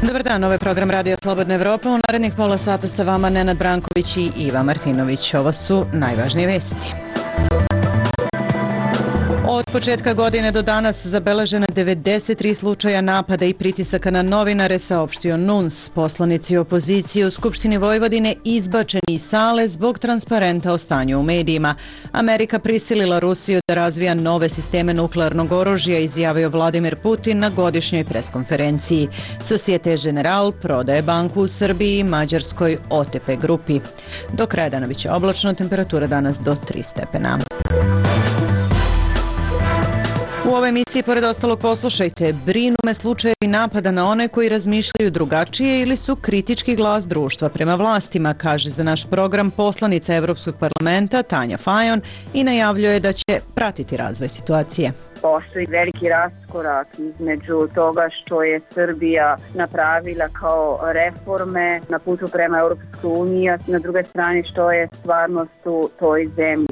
Dobar dan, ovo je program Radio Slobodna Evropa. U narednih pola sata sa vama Nenad Branković i Iva Martinović. Ovo su najvažnije vesti. Od početka godine do danas zabeleženo 93 slučaja napada i pritisaka na novinare, saopštio NUNS. Poslanici opozicije u Skupštini Vojvodine izbačeni iz sale zbog transparenta o stanju u medijima. Amerika prisilila Rusiju da razvija nove sisteme nuklearnog oružja, izjavio Vladimir Putin na godišnjoj preskonferenciji. Societe General prodaje banku u Srbiji i mađarskoj OTP grupi. Do kraja dana biće oblačno, temperatura danas do 3 stepena. U ovoj emisiji, pored ostalog, poslušajte: brinu me slučajevi napada na one koji razmišljaju drugačije ili su kritički glas društva prema vlastima, kaže za naš program poslanica Evropskog parlamenta Tanja Fajon i najavljuje da će pratiti razvoj situacije. Postoji veliki raskorak između toga što je Srbija napravila kao reforme na putu prema Europskoj uniji, a na druge strane što je stvarnost u toj zemlji.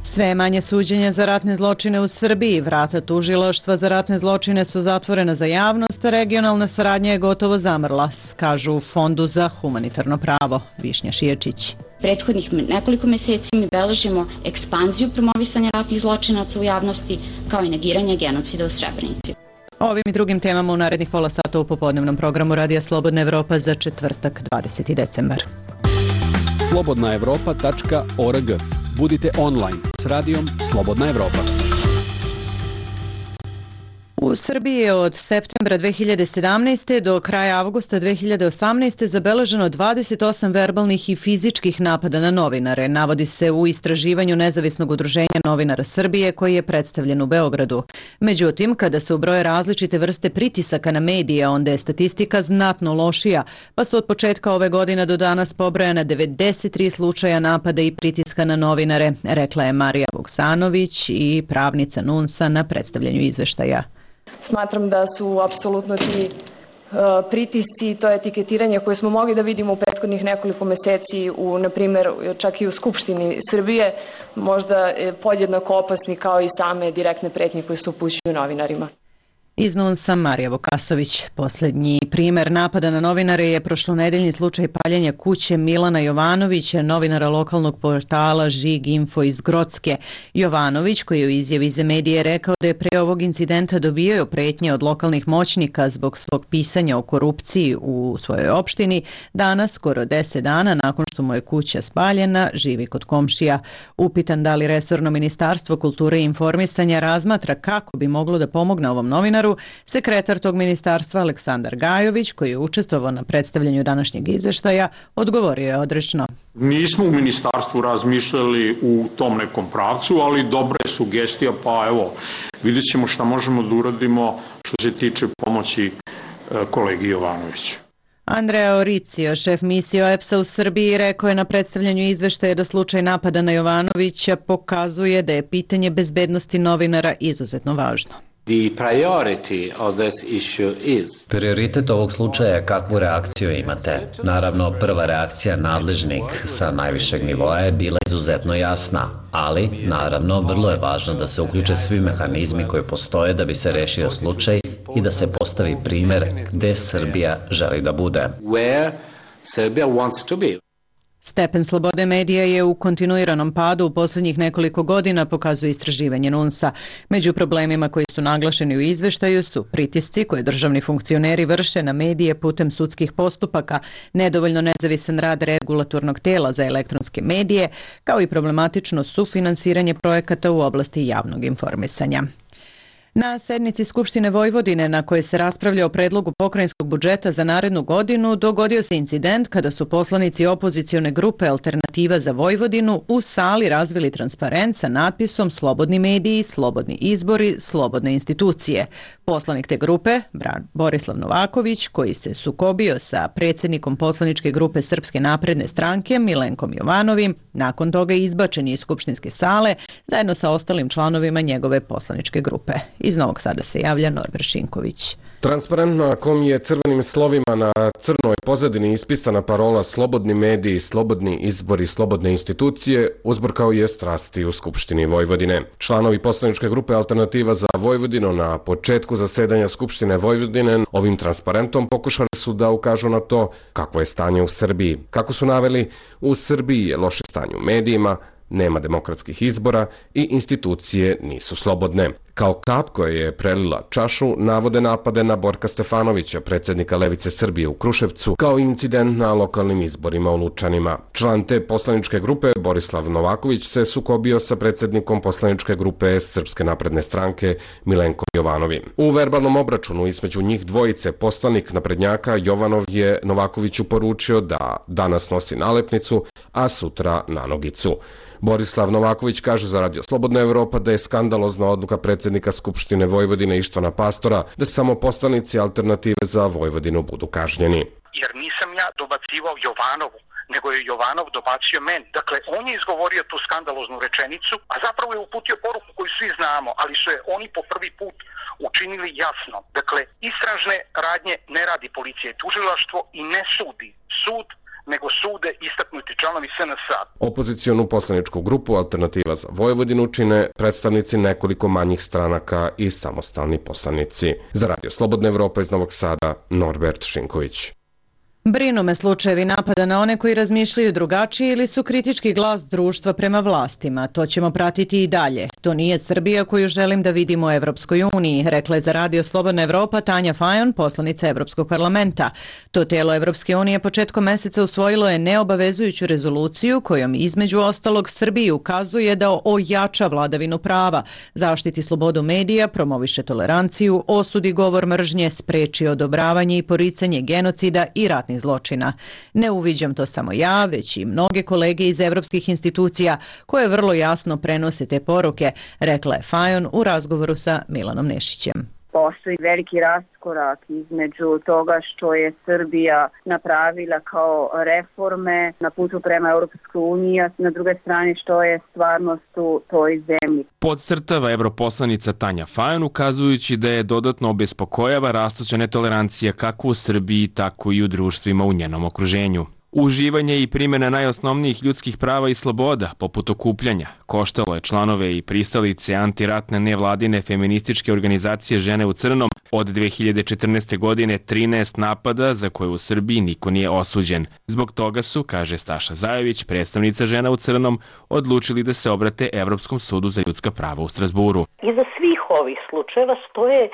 Sve manje suđenja za ratne zločine u Srbiji. Vrata tužilaštva za ratne zločine su zatvorena za javnost, a regionalna saradnja je gotovo zamrla, kažu u Fondu za humanitarno pravo. Višnja Šiječić. Prethodnih nekoliko meseci mi beležimo ekspanziju promovisanja ratnih zločinaca u javnosti, kao i negiranje genocida u Srebrenici. Ovim i drugim temama u narednih pola sata u popodnevnom programu Radija Slobodna Evropa za četvrtak 20. decembar. slobodnaevropa.org. Budite online s radijom Slobodna Evropa. U Srbiji je od septembra 2017. do kraja avgusta 2018. zabeleženo 28 verbalnih i fizičkih napada na novinare, navodi se u istraživanju Nezavisnog udruženja novinara Srbije koji je predstavljen u Beogradu. Međutim, kada se ubroje različite vrste pritisaka na medije, onda je statistika znatno lošija, pa su od početka ove godine do danas pobrojana 93 slučaja napada i pritiska na novinare, rekla je Marija Vuksanović i pravnica NUNS-a na predstavljanju izveštaja. Smatram da su apsolutno ti pritisci i to etiketiranje koje smo mogli da vidimo u prethodnih nekoliko meseci, na primjer čak i u Skupštini Srbije, možda podjednako opasni kao i same direktne pretnje koje se upućuju novinarima. Iz NUNS-a Marija Vukasović. Poslednji primer napada na novinare je prošlonedeljni slučaj paljenja kuće Milana Jovanovića, novinara lokalnog portala Žig Info iz Grocke. Jovanović, koji je u izjavi za medije rekao da je pre ovog incidenta dobijao pretnje od lokalnih moćnika zbog svog pisanja o korupciji u svojoj opštini, danas, skoro 10 dana nakon što mu je kuća spaljena, živi kod komšija. Upitan da li resorno Ministarstvo kulture i informisanja razmatra kako bi moglo da pomogne ovom novinaru, sekretar tog ministarstva Aleksandar Gajović, koji je učestvovao na predstavljanju današnjeg izveštaja, odgovorio je odrešno. Nismo u ministarstvu razmišljali u tom nekom pravcu, ali dobra je sugestija, pa evo, vidjet ćemo šta možemo da uradimo što se tiče pomoći kolegi Jovanoviću. Andrea Oricio, šef misije OEBS-a u Srbiji, rekao je na predstavljanju izveštaja da slučaj napada na Jovanovića pokazuje da je pitanje bezbednosti novinara izuzetno važno. Prioritet ovog slučaja je kakvu reakciju imate. Naravno, prva reakcija nadležnih sa najvišeg nivoa je bila izuzetno jasna, ali, naravno, vrlo je važno da se uključe svi mehanizmi koji postoje da bi se rešio slučaj i da se postavi primer gde Srbija želi da bude. Stepen slobode medija je u kontinuiranom padu u posljednjih nekoliko godina, pokazuje istraživanje NUNS-a. Među problemima koji su naglašeni u izveštaju su pritisci koje državni funkcioneri vrše na medije putem sudskih postupaka, nedovoljno nezavisan rad regulatornog tela za elektronske medije, kao i problematično sufinansiranje projekata u oblasti javnog informisanja. Na sednici Skupštine Vojvodine, na kojoj se raspravlja o predlogu pokrajinskog budžeta za narednu godinu, dogodio se incident kada su poslanici opozicione grupe Alternativa za Vojvodinu u sali razvili transparent sa natpisom Slobodni mediji, slobodni izbori, slobodne institucije. Poslanik te grupe, Borislav Novaković, koji se sukobio sa predsjednikom poslaničke grupe Srpske napredne stranke Milenkom Jovanovim, nakon toga je izbačen iz skupštinske sale zajedno sa ostalim članovima njegove poslaničke grupe. Iz Novog Sada se javlja Norbert Šinković. Transparent na kom je crvenim slovima na crnoj pozadini ispisana parola slobodni mediji, slobodni izbori, slobodne institucije, uzburkao je strasti u Skupštini Vojvodine. Članovi poslaničke grupe Alternativa za Vojvodinu na početku zasedanja Skupštine Vojvodine ovim transparentom pokušali su da ukažu na to kakvo je stanje u Srbiji. Kako su naveli, u Srbiji je loše stanje u medijima, nema demokratskih izbora i institucije nisu slobodne. Kao kap koja je prelila čašu, navode napade na Borka Stefanovića, predsjednika Levice Srbije u Kruševcu, kao incident na lokalnim izborima u Lučanima. Član te poslaničke grupe, Borislav Novaković, se sukobio sa predsjednikom poslaničke grupe Srpske napredne stranke, Milenkom Jovanovim. U verbalnom obračunu između njih dvojice poslanik naprednjaka Jovanov je Novakoviću poručio da danas nosi nalepnicu, a sutra nanogicu. Borislav Novaković kaže za Radio Slobodna Evropa da je skandalozna odluka predsjednika Skupštine Vojvodine Ištvana Pastora da samo poslanici Alternative za Vojvodinu budu kažnjeni. Jer nisam ja dobacivao Jovanovu, nego je Jovanov dobacio meni. Dakle, on je izgovorio tu skandaloznu rečenicu, a zapravo je uputio poruku koju svi znamo, ali su je oni po prvi put učinili jasno. Dakle, istražne radnje ne radi policija i tužilaštvo i ne sudi sud, nego sude istaknuti članovi SNS-a. Opozicionu poslaničku grupu Alternativa za Vojvodinu čine predstavnici nekoliko manjih stranaka i samostalni poslanici. Za Radio Slobodna Evropa iz Novog Sada, Norbert Šinković. Brinu me slučajevi napada na one koji razmišljaju drugačije ili su kritički glas društva prema vlastima. To ćemo pratiti i dalje. To nije Srbija koju želim da vidimo u Evropskoj uniji, rekla je za Radio Slobodna Evropa Tanja Fajon, poslanica Evropskog parlamenta. To telo Evropske unije početkom meseca usvojilo je neobavezujuću rezoluciju kojom između ostalog Srbiji ukazuje da ojača vladavinu prava, zaštiti slobodu medija, promoviše toleranciju, osudi govor mržnje, spreči odobravanje i poricanje genocida i ratnih zločina. Ne uviđam to samo ja, već i mnoge kolege iz evropskih institucija koje vrlo jasno prenose te poruke, rekla je Fajon u razgovoru sa Milanom Nešićem. Postoji veliki raskorak između toga što je Srbija napravila kao reforme na putu prema Europskoj uniji, a na druge strane što je stvarnost u toj zemlji. Podcrtava europoslanica Tanja Fajon, ukazujući da je dodatno obespokojava rastuća netolerancija kako u Srbiji, tako i u društvima u njenom okruženju. Uživanje i primjena najosnovnijih ljudskih prava i sloboda, poput okupljanja, koštalo je članove i pristalice antiratne nevladine feminističke organizacije Žene u crnom od 2014. godine 13 napada za koje u Srbiji niko nije osuđen. Zbog toga su, kaže Staša Zajović, predstavnica Žena u crnom, odlučili da se obrate Evropskom sudu za ljudska prava u Strazburu. Iza svih ovih slučajeva stoje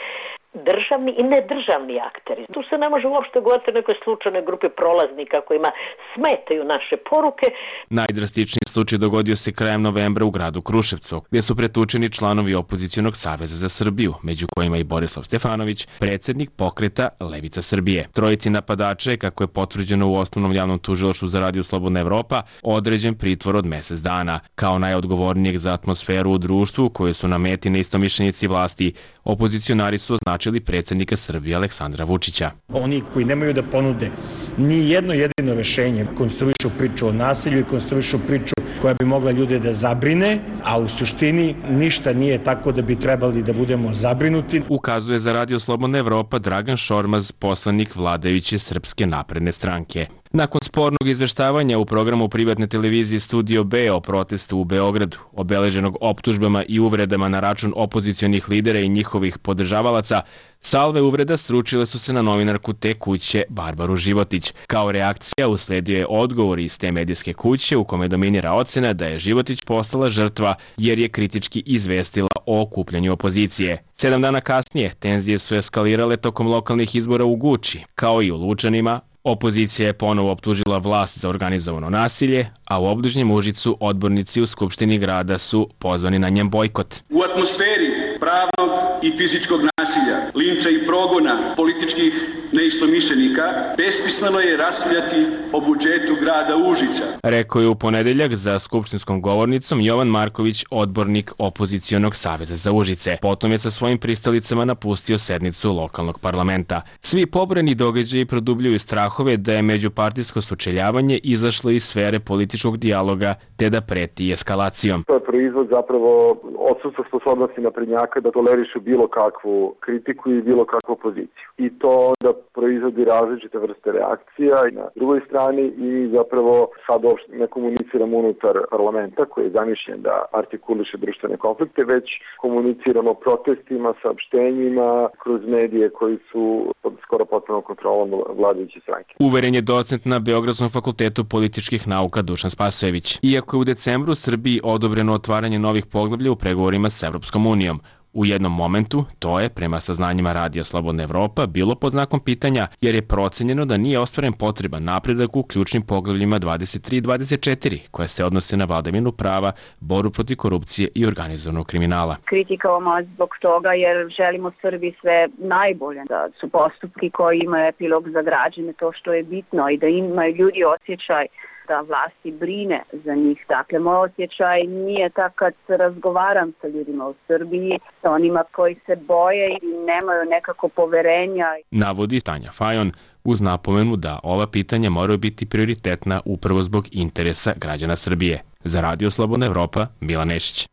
državni i nedržavni akteri. Tu se ne može uopšte govoriti o nekoj slučajnoj grupi prolaznika kojima smetaju naše poruke. Najdrastičniji slučaj dogodio se krajem novembra u gradu Kruševcu, gdje su pretučeni članovi Opozicionog saveza za Srbiju, među kojima i Borislav Stefanović, predsjednik pokreta Levica Srbije. Trojici napadača je, kako je potvrđeno u Osnovnom javnom tužilaštvu za Radio Slobodna Evropa, određen pritvor od mjesec dana. Kao najodgovornijeg za atmosferu u društvu, koje su na meti neistomišljenici vlasti, opozicionari su označili predsjednika Srbije Aleksandra Vučića. Oni koji nemaju da ponude ni jedno jedino rešenje, konstruišu priču o nasilju i konstruišu priču koja bi mogla ljude da zabrine, a u suštini ništa nije tako da bi trebali da budemo zabrinuti. Ukazuje za Radio Slobodna Evropa Dragan Šormaz, poslanik vladajuće Srpske napredne stranke. Nakon spornog izveštavanja u programu privatne televizije Studio B o protestu u Beogradu, obeleženog optužbama i uvredama na račun opozicionih lidera i njihovih podržavalaca, salve uvreda sručile su se na novinarku te kuće Barbaru Životić. Kao reakcija usledio je odgovor iz te medijske kuće u kome dominira ocena da je Životić postala žrtva jer je kritički izvestila o okupljanju opozicije. 7 dana kasnije tenzije su eskalirale tokom lokalnih izbora u Guči, kao i u Lučanima. Opozicija je ponovo optužila vlast za organizovano nasilje, a u obližnjem Užicu odbornici u Skupštini grada su pozvani na njen bojkot. U atmosferi pravnog i fizičkog nasilja, linča i progona političkih neistomišljenika, besmisleno je raspravljati o budžetu grada Užica. Rekao je u ponedeljak za skupštinskom govornicom Jovan Marković, odbornik opozicionog saveza za Užice. Potom je sa svojim pristalicama napustio sednicu lokalnog parlamenta. Svi pobrojani događaji produbljuju strahove da je međupartijsko sučeljavanje izašlo iz sfere političkog dijaloga te da preti eskalacijom. To je proizvod zapravo odsustva sposobnosti naprednjaka da tolerišu bilo kakvu kritiku i bilo kakvu poziciju. I to onda proizvodi različite vrste reakcija i na drugoj strani i zapravo sad uopšte ne komuniciramo unutar parlamenta koji je zamišljen da artikuliše društvene konflikte, već komuniciramo protestima, saopštenjima kroz medije koji su pod skoro potpunom kontrolom vladajuće stranke. Uveren je docent na Beogradskom fakultetu političkih nauka Dušan Spasojević. Iako je u decembru Srbiji odobreno otvaranje novih poglavlja u pregovorima s Evropskom unijom, u jednom momentu to je, prema saznanjima Radija Slobodna Evropa, bilo pod znakom pitanja jer je procenjeno da nije ostvaren potreban napredak u ključnim poglavljima 23 i 24 koje se odnose na vladavinu prava, borbu protiv korupcije i organizovanog kriminala. Kritikavamo zbog toga jer želimo Srbiji sve najbolje, da su postupki koji imaju epilog za građane to što je bitno i da imaju ljudi osjećaj da vlasti brine za njih. Dakle, moj osjećaj nije tak kad razgovaram sa ljudima u Srbiji, sa onima koji se boje i nemaju nekako poverenja. Navodi Tanja Fajon uz napomenu da ova pitanja moraju biti prioritetna upravo zbog interesa građana Srbije. Za Radio Slobodna Evropa, Milan Nešić.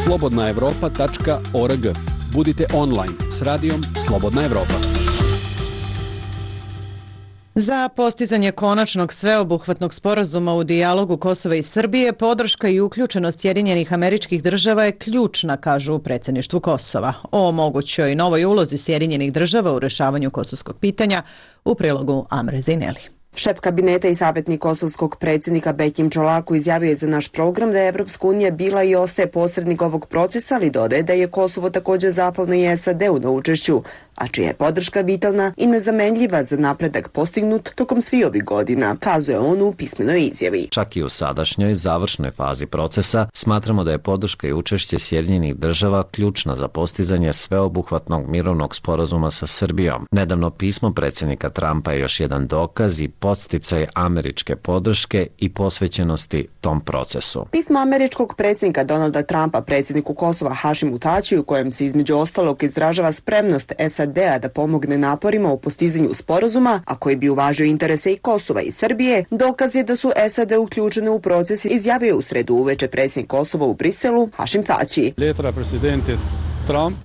slobodnaevropa.org. Budite online s radijom Slobodna Evropa. Za postizanje konačnog sveobuhvatnog sporazuma u dijalogu Kosova i Srbije, podrška i uključenost Sjedinjenih Američkih Država je ključna, kažu u predsjedništvu Kosova. O mogućoj novoj ulozi Sjedinjenih Država u rešavanju kosovskog pitanja u prilogu Amre Zineli. Šef kabineta i savjetnik kosovskog predsjednika Bekim Čolaku izjavio je za naš program da je Evropska unija bila i ostaje posrednik ovog procesa, ali dodaje da je Kosovo također zahvalno i SAD-u na učešću, a čija je podrška vitalna i nezamenljiva za napredak postignut tokom svih ovih godina, kazuje on u pismenoj izjavi. Čak i u sadašnjoj završnoj fazi procesa smatramo da je podrška i učešće Sjedinjenih Država ključna za postizanje sveobuhvatnog mirovnog sporazuma sa Srbijom. Nedavno pismo predsjednika Trumpa je još jedan dokaz i podsticaj američke podrške i posvećenosti tom procesu. Pismo američkog predsjednika Donalda Trumpa predsjedniku Kosova Hašimu Tačiju, u kojem se između ostalog izražava spremnost SAD-a da pomogne naporima u postizanju sporazuma, a koji bi uvažio interese i Kosova i Srbije, dokaz je da su SAD uključene u proces, izjavio u sredu uveče predsjednik Kosova u Briselu Hašim Tači.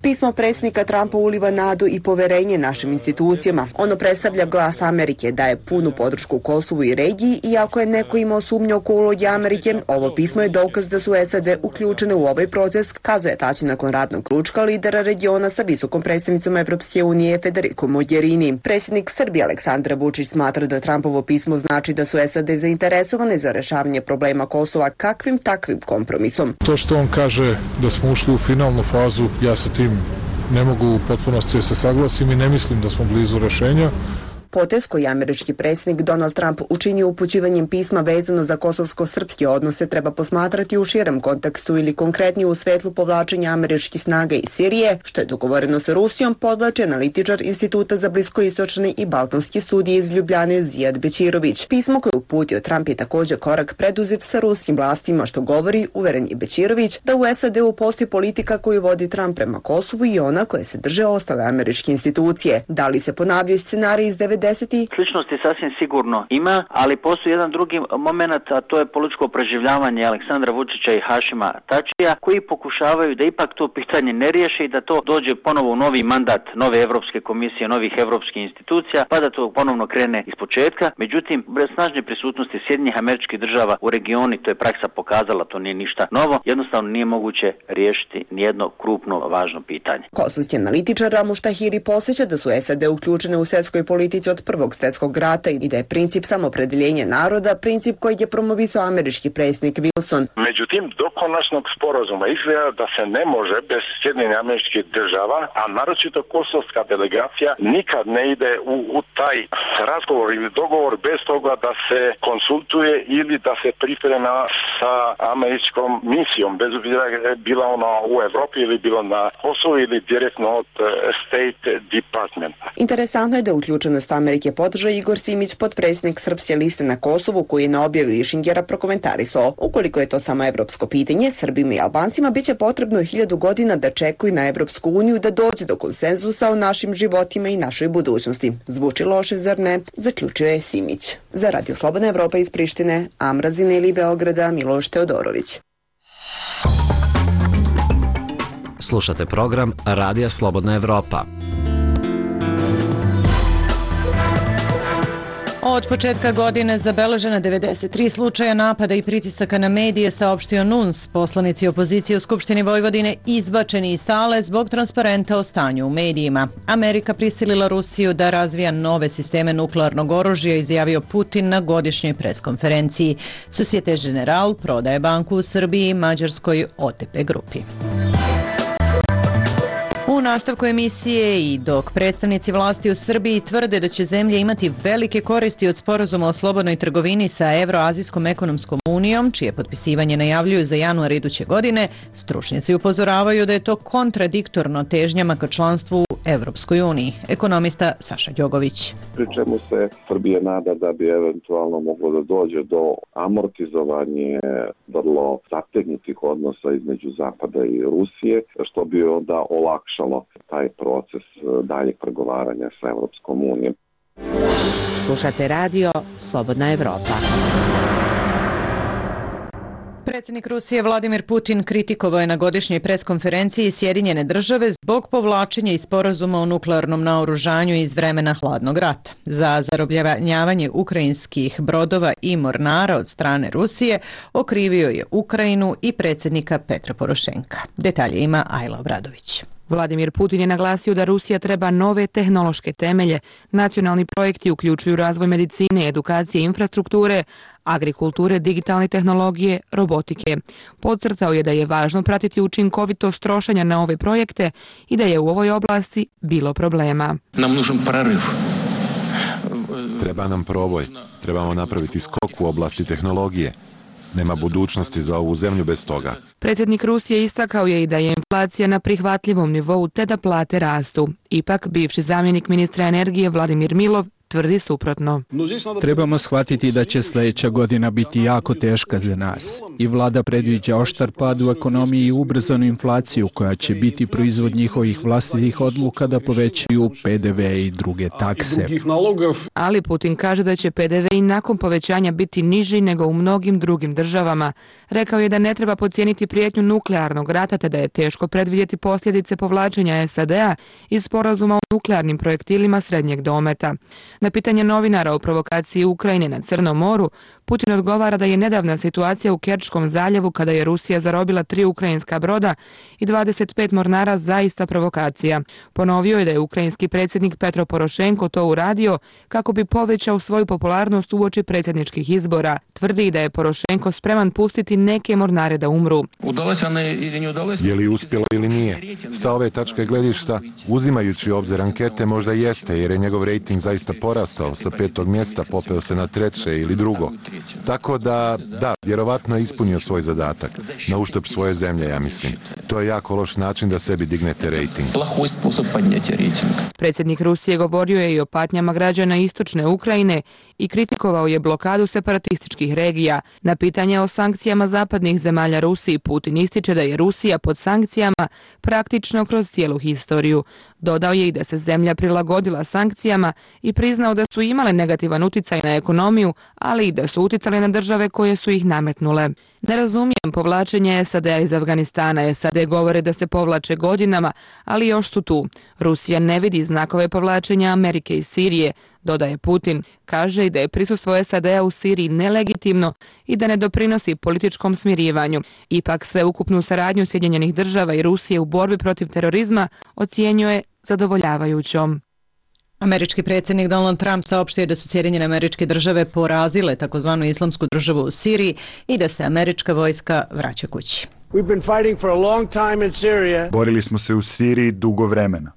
Pismo predsjednika Trumpa uliva nadu i poverenje našim institucijama. Ono predstavlja glas Amerike, daje punu podršku Kosovu i regiji, i ako je neko imao sumnju oko uloge Amerike, ovo pismo je dokaz da su SAD uključene u ovaj proces, kazuje Tači nakon radnog ručka lidera regiona sa visokom predstavnicom Evropske unije Federico Mogherini. Predsjednik Srbije Aleksandar Vučić smatra da Trumpovo pismo znači da su SAD zainteresovane za rešavanje problema Kosova kakvim takvim kompromisom. To što on kaže da smo ušli u finalnu fazu, ja sa tim ne mogu u potpunosti da se saglasim i ne mislim da smo blizu rešenja. Potez koji američki predsjednik Donald Trump učinio upućivanjem pisma vezano za kosovsko-srpske odnose treba posmatrati u širem kontekstu ili konkretnije u svetlu povlačenja američkih snaga iz Sirije, što je dogovoreno sa Rusijom, podvlači analitičar Instituta za bliskoistočne i balkanske studije iz Ljubljane Zijad Bećirović. Pismo koje uputio Trump je također korak preduzet sa ruskim vlastima, što govori, uveren je Bećirović, da u SAD-u postoji politika koju vodi Trump prema Kosovu i ona koje se drže ostale američke institucije. Da li se ponavljaju scenarij iz 90. Sličnosti sasvim sigurno ima, ali postoji jedan drugi moment, a to je političko preživljavanje Aleksandra Vučića i Hašima Tačija, koji pokušavaju da ipak to pitanje ne riješe i da to dođe ponovo u novi mandat nove Evropske komisije, novih evropskih institucija, pa da to ponovno krene iz početka. Međutim, bez snažne prisutnosti Sjedinjenih Američkih Država u regionu, to je praksa pokazala, to nije ništa novo, jednostavno nije moguće riješiti nijedno krupno važno pitanje. Kosovski analitičar Ramuš Tahiri posjeća da su SAD uključene u svjetskoj politici od Prvog svjetskog rata i da je princip samopredeljenja naroda princip koji je promovisao američki predsjednik Wilson. Međutim, do konačnog sporazuma izgleda da se ne može bez Sjedinjenih Američkih Država, a naročito kosovska delegacija nikad ne ide u taj razgovor ili dogovor bez toga da se konsultuje ili da se priprema sa američkom misijom, bez obzira bila ona u Evropi ili bilo na Kosovu ili direktno od State Departmenta. Interesantno je da uključenost Amerike podržao Igor Simić, potpredsjednik Srpske liste na Kosovu, koji je na objavu Išingera prokomentarisao: ukoliko je to samo evropsko pitanje, Srbima i Albancima biće potrebno 1000 godina da čekaju na Evropsku uniju da dođe do konsenzusa o našim životima i našoj budućnosti. Zvuči loše, zar ne? Zaključio je Simić. Za Radio Slobodna Evropa iz Prištine, Amrazine ili Beograda, Miloš Teodorović. Slušate program Radija Slobodna Evropa. Od početka godine zabeležena 93 slučaja napada i pritisaka na medije, saopštio NUNS. Poslanici opozicije u Skupštini Vojvodine izbačeni iz sale zbog transparenta o stanju u medijima. Amerika prisilila Rusiju da razvija nove sisteme nuklearnog oružja, izjavio Putin na godišnjoj preskonferenciji. Societe Generale prodaje banku u Srbiji i Mađarskoj OTP grupi. U nastavku emisije i dok predstavnici vlasti u Srbiji tvrde da će zemlja imati velike koristi od sporazuma o slobodnoj trgovini sa Evroazijskom ekonomskom unijom, čije potpisivanje najavljuju za januar iduće godine, stručnjaci upozoravaju da je to kontradiktorno težnjama ka članstvu u Evropskoj uniji. Ekonomista Saša Đogović. Pri čemu se Srbija nada da bi eventualno moglo da dođe do amortizovanja vrlo zategnutih odnosa između Zapada i Rusije, što bi onda olakšalo taj proces daljeg pregovaranja sa Evropskom unijom. Slušate radio Slobodna Evropa. Predsjednik Rusije Vladimir Putin kritikovao je na godišnjoj preskonferenciji Sjedinjene države zbog povlačenja iz sporazuma o nuklearnom naoružanju iz vremena hladnog rata. Za zarobljavanje ukrajinskih brodova i mornara od strane Rusije okrivio je Ukrajinu i predsjednika Petra Porošenka. Detalje ima Ajla Obradović. Vladimir Putin je naglasio da Rusija treba nove tehnološke temelje. Nacionalni projekti uključuju razvoj medicine, edukacije i infrastrukture, agrikulture, digitalne tehnologije, robotike. Podcrtao je da je važno pratiti učinkovitost trošenja na ove projekte i da je u ovoj oblasti bilo problema. Treba nam proboj. Trebamo napraviti skok u oblasti tehnologije. Nema budućnosti za ovu zemlju bez toga. Predsjednik Rusije istakao je i da je inflacija na prihvatljivom nivou te da plate rastu. Ipak, bivši zamjenik ministra energije Vladimir Milov tvrdi suprotno. Trebamo shvatiti da će sljedeća godina biti jako teška za nas. I vlada predviđa oštar pad u ekonomiji i ubrzanu inflaciju koja će biti proizvod njihovih vlastitih odluka da povećaju PDV i druge takse. Ali Putin kaže da će PDV i nakon povećanja biti niži nego u mnogim drugim državama. Rekao je da ne treba podcijeniti prijetnju nuklearnog rata te da je teško predvidjeti posljedice povlačenja SAD-a iz sporazuma o nuklearnim projektilima srednjeg dometa. Na pitanje novinara o provokaciji Ukrajine na Crnom moru, Putin odgovara da je nedavna situacija u Kerčkom zaljevu kada je Rusija zarobila 3 ukrajinska broda i 25 mornara zaista provokacija. Ponovio je da je ukrajinski predsjednik Petro Porošenko to uradio kako bi povećao svoju popularnost uoči predsjedničkih izbora. Tvrdi da je Porošenko spreman pustiti neke mornare da umru. Je li uspjelo ili nije? Sa ove tačke gledišta, uzimajući u obzir ankete, možda jeste, jer je njegov rejting zaista porastao, sa 5. mjesta popeo se na 3. ili 2. Tako da, vjerovatno je ispunio svoj zadatak, na uštrb svoje zemlje, ja mislim. To je jako loš način da sebi dignete rejting. Predsjednik Rusije govorio je i o patnjama građana istočne Ukrajine i kritikovao je blokadu separatističkih regija. Na pitanje o sankcijama zapadnih zemalja Rusiji, Putin ističe da je Rusija pod sankcijama praktično kroz cijelu historiju. Dodao je i da se zemlja prilagodila sankcijama i priznao da su imale negativan utjecaj na ekonomiju, ali i da su utjecale na države koje su ih nametnule. Ne razumijem povlačenje SAD-a iz Afganistana. SAD govore da se povlače godinama, ali još su tu. Rusija ne vidi znakove povlačenja Amerike iz Sirije, dodaje Putin. Kaže i da je prisustvo SAD-a u Siriji nelegitimno i da ne doprinosi političkom smirivanju. Ipak sveukupnu saradnju Sjedinjenih država i Rusije u borbi protiv terorizma ocjenjuje zadovoljavajućom. Američki predsjednik Donald Trump saopštio da su Sjedinjene Američke Države porazile takozvanu islamsku državu u Siriji i da se američka vojska vraća kući. Borili smo se u Siriji dugo vremena.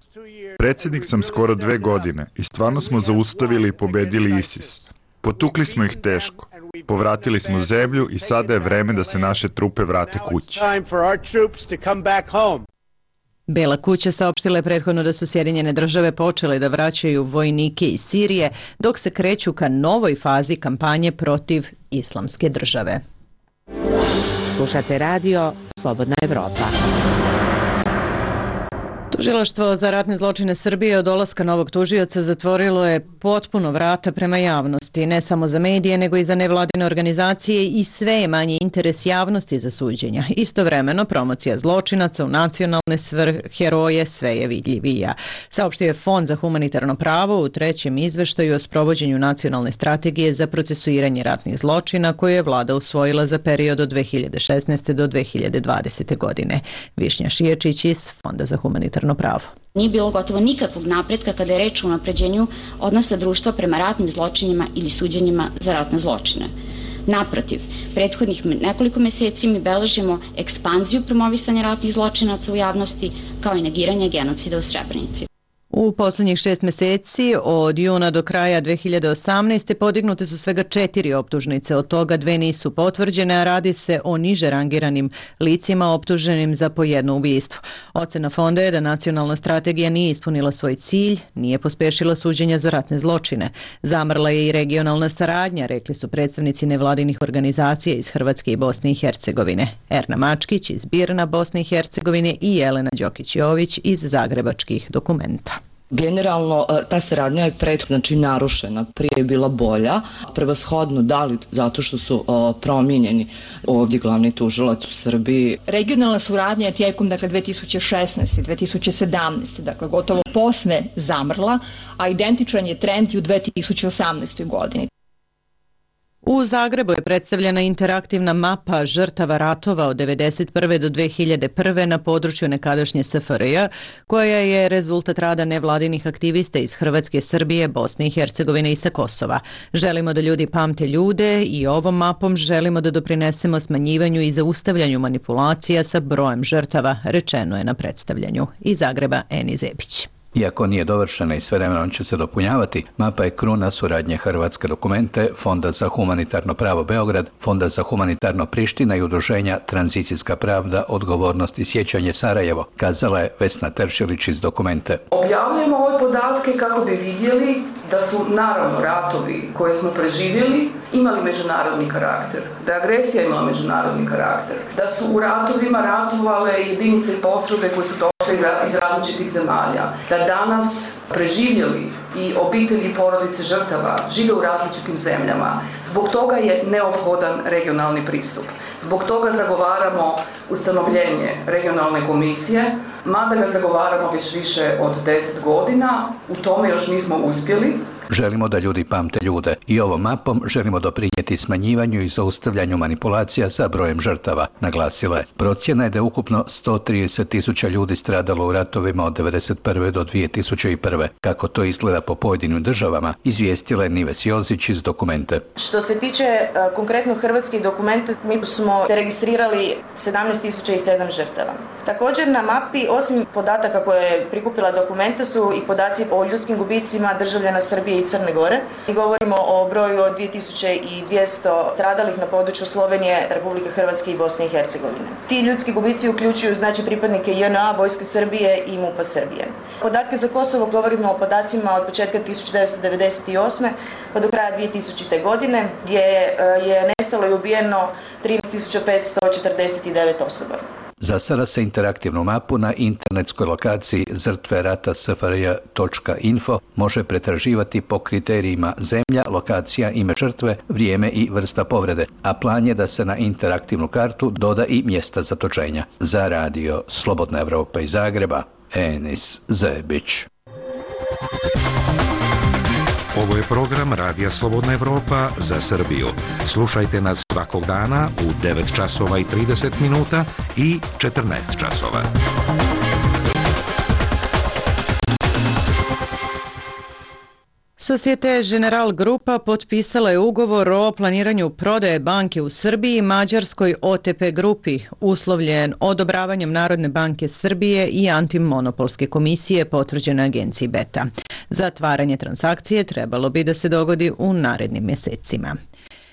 Predsjednik sam skoro 2 godine i stvarno smo zaustavili i pobedili ISIS. Potukli smo ih teško. Povratili smo zemlju i sada je vreme da se naše trupe vrate kući. Bela kuća saopštila je prethodno da su Sjedinjene Države počele da vraćaju vojnike iz Sirije dok se kreću ka novoj fazi kampanje protiv islamske države. Slušate radio Slobodna Evropa. Tužilaštvo za ratne zločine Srbije od dolaska novog tužioca zatvorilo je potpuno vrata prema javnosti, ne samo za medije, nego i za nevladine organizacije i sve je manji interes javnosti za suđenja. Istovremeno, promocija zločinaca u nacionalne heroje sve je vidljivija. Saopštio je Fond za humanitarno pravo u 3. izveštaju o sprovođenju nacionalne strategije za procesuiranje ratnih zločina koju je vlada usvojila za period od 2016. do 2020. godine. Višnja Šiječić iz Fonda za humanitarno pravo. Nije bilo gotovo nikakvog napretka kada je reč o unapređenju odnosa društva prema ratnim zločinima ili suđenjima za ratne zločine. Naprotiv, prethodnih nekoliko meseci mi beležimo ekspanziju promovisanja ratnih zločinaca u javnosti kao i negiranje genocida u Srebrenici. U poslednjih 6 meseci, od juna do kraja 2018. podignute su svega 4 optužnice, od toga 2 nisu potvrđene, a radi se o niže rangiranim licima optuženim za po jedno ubistvo. Ocena fonda je da nacionalna strategija nije ispunila svoj cilj, nije pospešila suđenja za ratne zločine. Zamrla je i regionalna saradnja, rekli su predstavnici nevladinih organizacija iz Hrvatske i Bosne i Hercegovine. Erna Mačkić iz Birna, Bosne i Hercegovine i Jelena Đokić-Jović iz Zagrebačkih dokumenta. Generalno, ta saradnja je narušena, prije je bila bolja, prevashodno da li zato što su promijenjeni ovdje glavni tužilac u Srbiji. Regionalna suradnja je tijekom 2016. i 2017. Gotovo posve zamrla, a identičan je trend i u 2018. godini. U Zagrebu je predstavljena interaktivna mapa žrtava ratova od 1991. do 2001. na području nekadašnje SFRJ, koja je rezultat rada nevladinih aktivista iz Hrvatske, Srbije, Bosne i Hercegovine i sa Kosova. Želimo da ljudi pamte ljude i ovom mapom želimo da doprinesemo smanjivanju i zaustavljanju manipulacija sa brojem žrtava, rečeno je na predstavljanju. Iz Zagreba, Eni Zebić. Iako nije dovršena i sve vremenom će se dopunjavati, mapa je kruna suradnje Hrvatske dokumente, Fonda za humanitarno pravo Beograd, Fonda za humanitarno Priština i udruženja Tranzicijska pravda, odgovornost i sjećanje Sarajevo, kazala je Vesna Teršilić iz dokumente. Objavljujemo ove podatke kako bi vidjeli da su naravno ratovi koje smo preživjeli imali međunarodni karakter, da je agresija imala međunarodni karakter, da su u ratovima ratovale jedinice i postrojbe koje su došle iz različitih zemalja, da danas preživjeli i obitelji i porodice žrtava žive u različitim zemljama. Zbog toga je neophodan regionalni pristup. Zbog toga zagovaramo ustanovljenje regionalne komisije, mada ga zagovaramo već više od 10 godina, u tome još nismo uspjeli. Želimo da ljudi pamte ljude i ovom mapom želimo doprinijeti smanjivanju i zaustavljanju manipulacija sa brojem žrtava, naglasila je. Procjena je da je ukupno 130.000 ljudi stradalo u ratovima od 1991. do 2001. Kako to izgleda po pojedinim državama, izvijestila je Nives Jozić iz dokumente. Što se tiče konkretno hrvatskih dokumenta, mi smo registrirali 17.007 žrtava. Također na mapi, osim podataka koje je prikupila dokumenta, su i podaci o ljudskim gubicima državljana Srbije i Crne Gore. I govorimo o broju od 2200 stradalih na području Slovenije, Republike Hrvatske i Bosne i Hercegovine. Ti ljudski gubici uključuju pripadnike JNA, Vojske Srbije i MUP-a Srbije. Podatke za Kosovo govorimo o podacima od početka 1998. pa do kraja 2000. godine, gdje je nestalo i ubijeno 13.549 osoba. Za sada se interaktivnu mapu na internetskoj lokaciji žrtverata.sfrj.info može pretraživati po kriterijima zemlja, lokacija, ime žrtve, vrijeme i vrsta povrede, a plan je da se na interaktivnu kartu doda i mjesta zatočenja. Za radio Slobodna Evropa iz Zagreba, Enis Zebić. Ovo je program Radija Slobodna Evropa za Srbiju. Slušajte nas svakog dana u 9 časova i 30 minuta i 14 časova. Societe General Grupa potpisala je ugovor o planiranju prodaje banke u Srbiji Mađarskoj OTP grupi, uslovljen odobravanjem Narodne banke Srbije i Antimonopolske komisije potvrđene agenciji Beta. Zatvaranje transakcije trebalo bi da se dogodi u narednim mjesecima.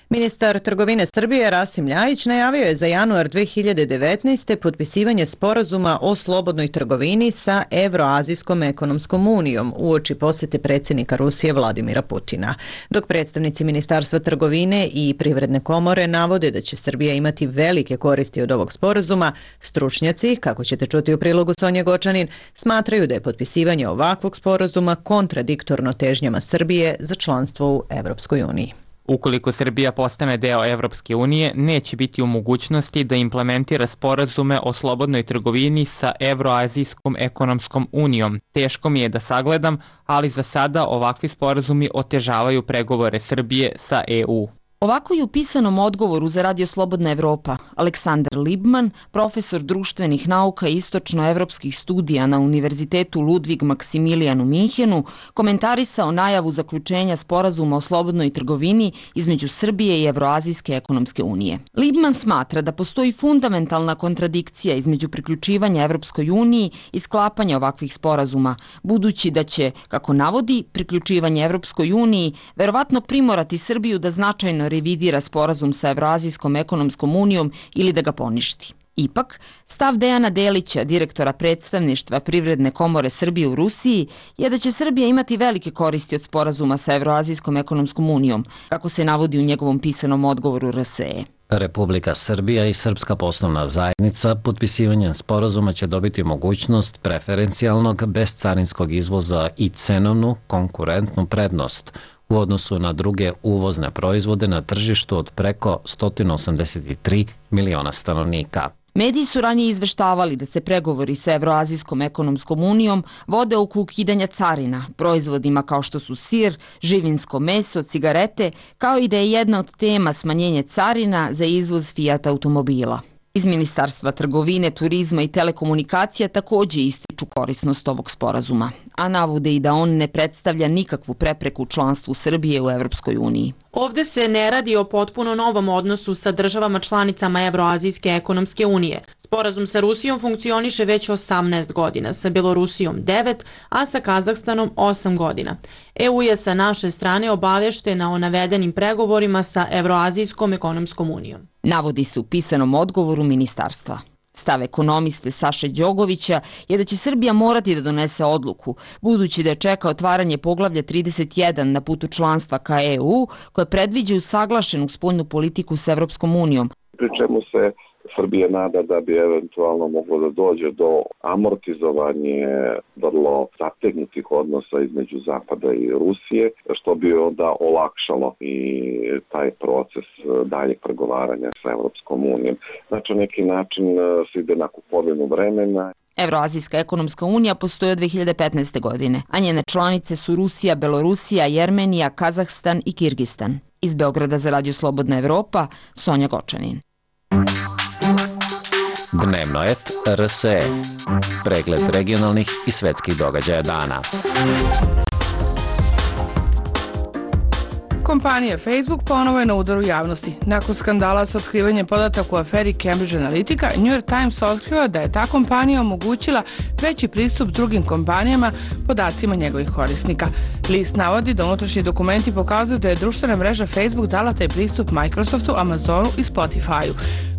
Ministar trgovine Srbije Rasim Ljajić najavio je za januar 2019. potpisivanje sporazuma o slobodnoj trgovini sa Evroazijskom ekonomskom unijom uoči posjete predsjednika Rusije Vladimira Putina. Dok predstavnici Ministarstva trgovine i Privredne komore navode da će Srbija imati velike koristi od ovog sporazuma, stručnjaci, kako ćete čuti u prilogu Sonje Gočanin, smatraju da je potpisivanje ovakvog sporazuma kontradiktorno težnjama Srbije za članstvo u Evropskoj uniji. Ukoliko Srbija postane deo Evropske unije, neće biti u mogućnosti da implementira sporazume o slobodnoj trgovini sa Evroazijskom ekonomskom unijom. Teško mi je da sagledam, ali za sada ovakvi sporazumi otežavaju pregovore Srbije sa EU. Ovako je u pisanom odgovoru za Radio Slobodna Evropa Aleksandar Libman, profesor društvenih nauka i istočnoevropskih studija na Univerzitetu Ludvig Maksimilijan u Minhenu, komentarisao najavu zaključenja sporazuma o slobodnoj trgovini između Srbije i Evroazijske ekonomske unije. Libman smatra da postoji fundamentalna kontradikcija između priključivanja Evropskoj uniji i sklapanja ovakvih sporazuma, budući da će, kako navodi, priključivanje Evropskoj uniji verovatno primorati Srbiju da značajno revidira sporazum sa Evroazijskom ekonomskom unijom ili da ga poništi. Ipak, stav Dejana Delića, direktora predstavništva Privredne komore Srbije u Rusiji, je da će Srbija imati velike koristi od sporazuma sa Evroazijskom ekonomskom unijom, kako se navodi u njegovom pisanom odgovoru RSE. Republika Srbija i Srpska poslovna zajednica potpisivanjem sporazuma će dobiti mogućnost preferencijalnog bezcarinskog izvoza i cenovnu konkurentnu prednost u odnosu na druge uvozne proizvode na tržištu od preko 183 miliona stanovnika. Mediji su ranije izveštavali da se pregovori sa Evroazijskom ekonomskom unijom vode oko ukidanja carina, proizvodima kao što su sir, živinsko meso, cigarete, kao i da je jedna od tema smanjenje carina za izvoz Fiat automobila. Iz Ministarstva trgovine, turizma i telekomunikacija također ističu korisnost ovog sporazuma, a navode i da on ne predstavlja nikakvu prepreku članstvu Srbije u Evropskoj uniji. Ovde se ne radi o potpuno novom odnosu sa državama članicama Evroazijske ekonomske unije. Sporazum sa Rusijom funkcioniše već 18 godina, sa Belorusijom 9, a sa Kazahstanom 8 godina. EU je sa naše strane obaveštena o navedenim pregovorima sa Evroazijskom ekonomskom unijom. Navodi se u pisanom odgovoru ministarstva. Stav ekonomiste Saše Đogovića je da će Srbija morati da donese odluku, budući da je čeka otvaranje poglavlja 31 na putu članstva ka EU, koje predviđa usaglašenu spoljnu politiku s Evropskom unijom. Pri čemu se Srbija nada da bi eventualno moglo da dođe do amortizovanje vrlo zategnutih odnosa između Zapada i Rusije, što bi onda olakšalo i taj proces daljeg pregovaranja sa Evropskom unijom. Znači, na neki način se ide na kupovinu vremena. Evroazijska ekonomska unija postoji od 2015. godine, a njene članice su Rusija, Belorusija, Jermenija, Kazahstan i Kirgistan. Iz Beograda za Radio Slobodna Evropa, Sonja Gočanin. Dnevnoet RSE. Pregled regionalnih i svetskih događaja dana. Kompanija Facebook ponovo je na udaru javnosti. Nakon skandala sa otkrivanjem podataka u aferi Cambridge Analytica, New York Times otkrio da je ta kompanija omogućila veći pristup drugim kompanijama podacima njegovih korisnika. List navodi da unutrašnji dokumenti pokazuju da je društvena mreža Facebook dala taj pristup Microsoftu, Amazonu i Spotify-u.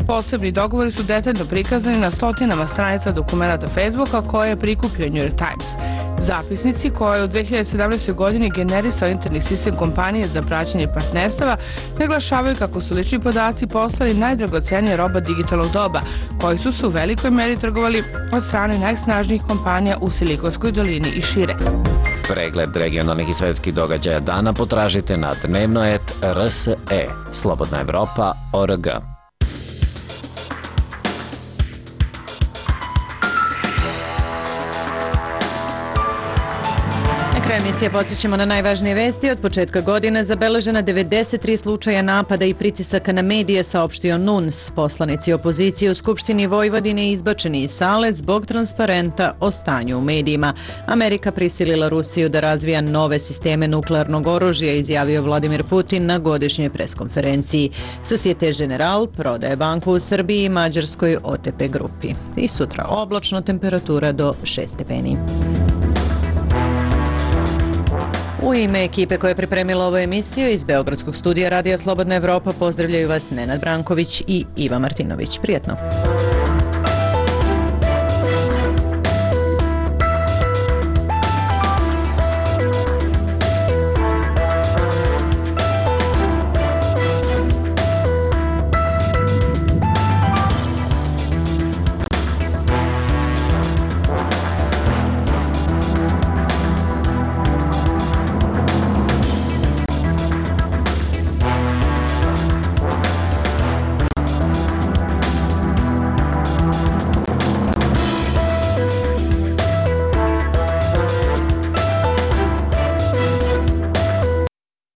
Posebni dogovori su detaljno prikazani na stotinama stranica dokumenta Facebooka koje je prikupio New York Times. Zapisnici koje je u 2017. godini generisao interni sistem kompanije za praćenje partnerstava naglašavaju kako su lični podaci postali najdragocenija roba digitalnog doba, koji su se u velikoj meri trgovali od strane najsnažnijih kompanija u Silikonskoj dolini i šire. Pregled regionalnih i svetskih događaja dana potražite na Dnevnoet RSE, Slobodna Evropa.org. kraja emisije podsjećamo na najvažnije vesti. Od početka godine zabeležena 93 slučaja napada i pritisaka na medije, saopštio NUNS. Poslanici opozicije u Skupštini Vojvodine izbačeni iz sale zbog transparenta o stanju u medijima. Amerika prisilila Rusiju da razvija nove sisteme nuklearnog oružja, izjavio Vladimir Putin na godišnjoj preskonferenciji. Societe General prodaje banku u Srbiji i Mađarskoj OTP grupi. I sutra oblačno, temperatura do 6 stepeni. U ime ekipe koja je pripremila ovu emisiju iz Beogradskog studija Radija Slobodna Evropa pozdravljaju vas Nenad Branković i Iva Martinović. Prijetno!